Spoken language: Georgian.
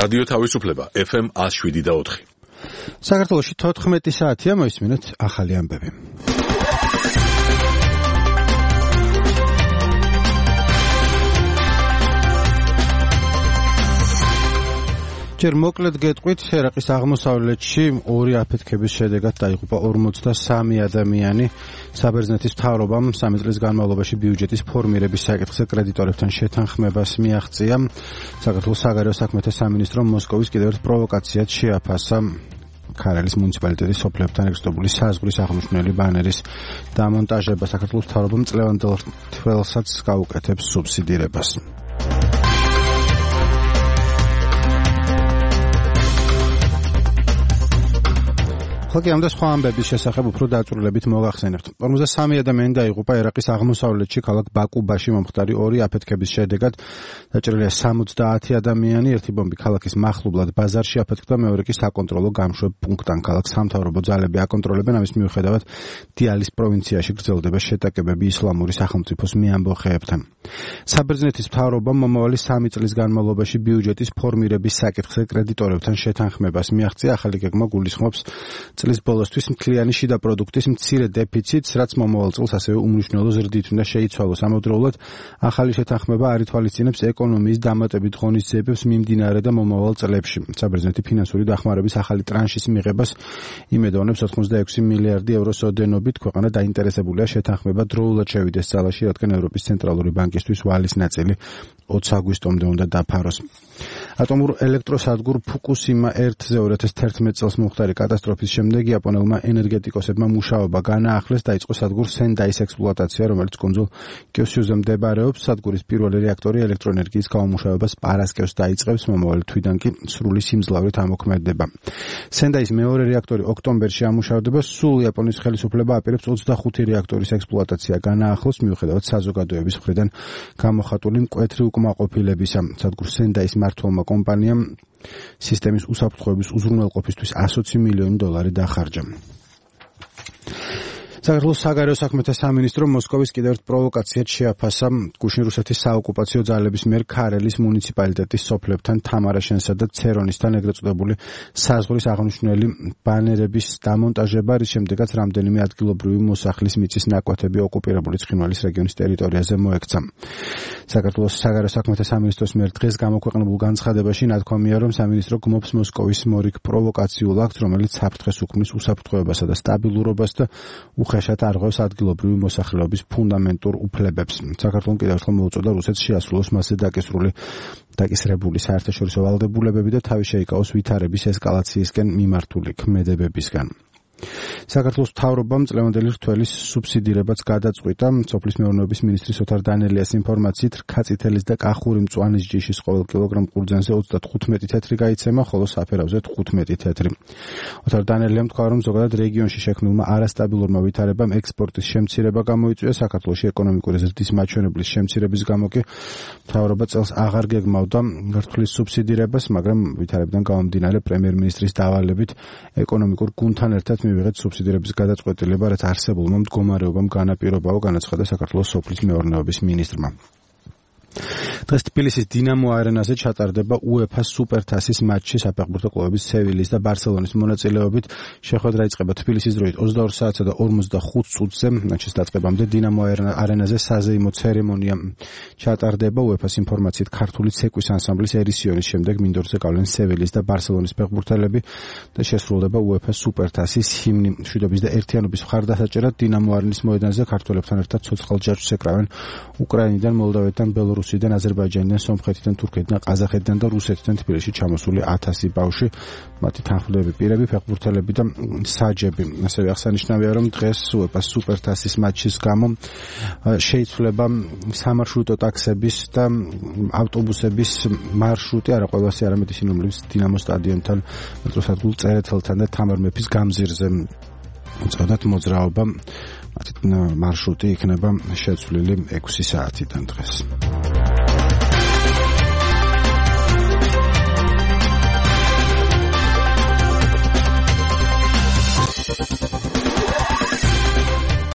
რადიო თავისუფლება FM 107.4. საქართველოში 14 საათია, მოისმინეთ ახალი ამბები. ჯერ მოკლედ გეტყვით, ერაყის აღმოსავლეთში ორი აფეთქების შედეგად დაიღუპა 53 ადამიანი. საბერძნეთის მთავრობამ 3 წლის განმავლობაში ბიუჯეტის ფორმირების საკითხზე კრედიტორებთან შეთანხმებას მიაღწია. საქართველოს საგარეო საქმეთა სამინისტრომ მოსკოვის კიდევ ერთ პროვოკაციად შეაფასა ქარელის მუნიციპალიტეტის სოფლებთან ეკსტობული საზღვრის აღნიშნული ბანერის დამონტაჟება. საქართველოს მთავრობამ წლევანდელ თველსაც გაუკეთებს სუბსიდირებას. ხალხი ამ და სხვა ამბების შესახებ უფრო დაწვრილებით მოგახსენებთ. 53 ადამიანი დაიღუპა ერაყის აღმოსავლეთში ქალაქ ბაკუბაში მომხდარი ორი აფეთქების შედეგად. დაჭრილია 70 ადამიანი, ერთი ბომბი ქალაქის მახლობლად ბაზარში აფეთქდა, მეორე კი საკონტროლო გამშვებ პუნქტთან. ქალაქს სამთავრობო ძალები აკონტროლებენ, ამის მიუხედავად დიალის პროვინციაში გრძელდება შეტაკებები ისლამური სახელმწიფოს მეამბოხეებთან. საბერძნეთის მთავრობამ მომავალი 3 წლის განმავლობაში ბიუჯეტის ფორმირების საკითხზე კრედიტორებთან შეთანხმებას მიაღწია. ახალი გეგმა გულისხმობს წლის ბოლოსთვის მთლიანი შიდა პროდუქტის მცირე დეფიციტს, რაც მომავალ წელს ასევე უმნიშვნელო ზრდით უნდა შეიცვალოს. ამავდროულად ახალი შეთანხმება არ ითვალისწინებს ეკონომიის დამატებით ღონისძიებებს მიმდინარე და მომავალ წლებში. საბერძნეთი ფინანსური დახმარების ახალი ტრანშის მიღებას იმედოვნებს 86 მილიარდი ევროს ოდენობით. ქვეყანა დაინტერესებულია შეთანხმება დროულად შევიდეს ძალაში, რადგან ევროპის ცენტრალური ბანკისთვის ვალის ნაწილი 20 აგვისტომდე უნდა დაფაროს. ატომურ ელექტროსადგურ ფუკუსიმა 1-ზე 2011 წელს მომხდარი კატასტროფის შემდეგ იაპონელმა ენერგეტიკოსებმა მუშაობა განაახლეს, დაიწყო სადგურ სენდაის ექსპლუატაცია, რომელიც კუნძულ კიოსიუზე მდებარეობს. სადგურის პირველი რეაქტორი ელექტროენერგიის გამომუშავებას პარასკევს დაიწყებს, მომავალი თვიდან კი სრული სიმძლავრით ამოქმედება. სენდაის მეორე რეაქტორი ოქტომბერში ამუშავდება, სულ იაპონიის ხელისუფლება აპირებს 25 რეაქტორის ექსპლუატაცია განაახლოს, მიუხედავად საზოგადოების მხრიდან გამოხატული მკვეთრი უკმაყოფილებისა. სადგურ სენდაის მმართველმა კომპანიამ სისტემის უსაფრთხოების უზრუნველყოფისთვის 120 მილიონი დოლარი დახარჯა. საქართველოს საგარეო საქმეთა სამინისტრომ მოსკოვის კიდევ ერთ პროვოკაციად შეაფასა გუშინ რუსეთის საოკუპაციო ძალების მიერ ქარელის მუნიციპალიტეტის სოფლებთან თამარაშენსა და ცერონისთან ეგრეთ წოდებული საზღვრის აღნიშნული ბანერების დამონტაჟება, რის შემდეგაც რამდენიმე ადგილობრივი მოსახლის მიწის ნაკვეთები ოკუპირებული ცხინვალის რეგიონის ტერიტორიაზე მოექცა. საქართველოს საგარეო საქმეთა სამინისტროს მიერ დღეს გამოქვეყნებულ განცხადებაში ნათქვამია, რომ სამინისტრო გმობს მოსკოვის მორიგ პროვოკაციულ აქტს, რომელიც საფრთხეს უქმნის უსაფრთხოებასა და სტაბილურობას და უხეშად არღვევს ადგილობრივი მოსახლეობის ფუნდამენტურ უფლებებს. საქართველოს კიდევ ერთხელ მოუწოდა რუსეთს შეასრულოს მასზე დაკისრებული საერთაშორისო ვალდებულებები და თავი შეიკავოს ვითარების ესკალაციისკენ მიმართული ქმედებებისგან. საქართველოს მთავრობამ წლევანდელი რთველის სუბსიდირებაც გადაწყვიტა. სოფლის მეურნეობის მინისტრის ოთარ დანელიას ინფორმაციით, რქაწითელის და კახური მწვანის ჯიშის ყოველ კილოგრამ ყურძენზე 35 თეთრი გაიცემა, ხოლო საფერავზე 15 თეთრი. ოთარ დანელიამ თქვა, რომ ზოგადად რეგიონში შექმნილმა არასტაბილურმა ვითარებამ ექსპორტის შემცირება გამოიწვია. საქართველოში ეკონომიკური ზრდის მაჩვენებლის შემცირების გამო კი მთავრობა წელს აღარ გეგმავდა რთვლის სუბსიდირებას, მაგრამ ვითარებიდან გამომდინარე პრემიერ-მინისტრის დავალებით ეკონომიკურ გუნდთან ერთად მივიღეთ სუბსიდირების გადაწყვეტილება, რაც არსებულმა მდგომარეობამ განაპირობაო, განაცხადა საქართველოს სოფლის მეურნეობის მინისტრმა. დღეს თბილისის დინამო არენაზე ჩატარდება UEFA სუპერთასის მატჩი საფეხბურთო კლუბების სევილიის და ბარსელონის მონაწილეობით. შეხვედრა იწყება თბილისის დროით 22 საათსა და 45 წუთზე. მატჩის დაწყებამდე დინამო არენაზე საზეიმო ცერემონია ჩატარდება. UEFA-ს ინფორმაციით, ქართული ცეკვის ანსამბლის ერისიონის შემდეგ მინდორზე გავლენ სევილიის და ბარსელონის ფეხბურთელები და შესრულდება UEFA სუპერთასის ჰიმნი. მშვიდობის და ერთიანობის მხარდასაჭერად დინამო არენის მოედანზე ქართველებთან ერთად ცოცხალ ჯაჭვს ეკრავენ უკრაინიდან, მოლდავეთიდან, ბელორუსიდან, აზერბაიჯანიდან, სომხეთიდან, თურქეთიდან, ყაზახეთიდან და რუსეთიდან თბილისში ჩამოსული 1000 ბავშვი, მათი თანხმდები პირები, ფეხბურთელები და საჯები. ასევე აღსანიშნავია, რომ დღეს UEFA სუპერთასის მატჩის გამო შეიცვლება სამარშრუტო ტაქსების და ავტობუსების მარშრუტი, არა ყველასი, არამედ ისინი, რომლებიც დინამო სტადიონთან, მეტროსადგურ წერეთელთან და თამარ მეფის გამზირზე უწევდათ მოძრაობა. მათი მარშრუტი იქნება შეცვლილი 6 საათიდან დღეს.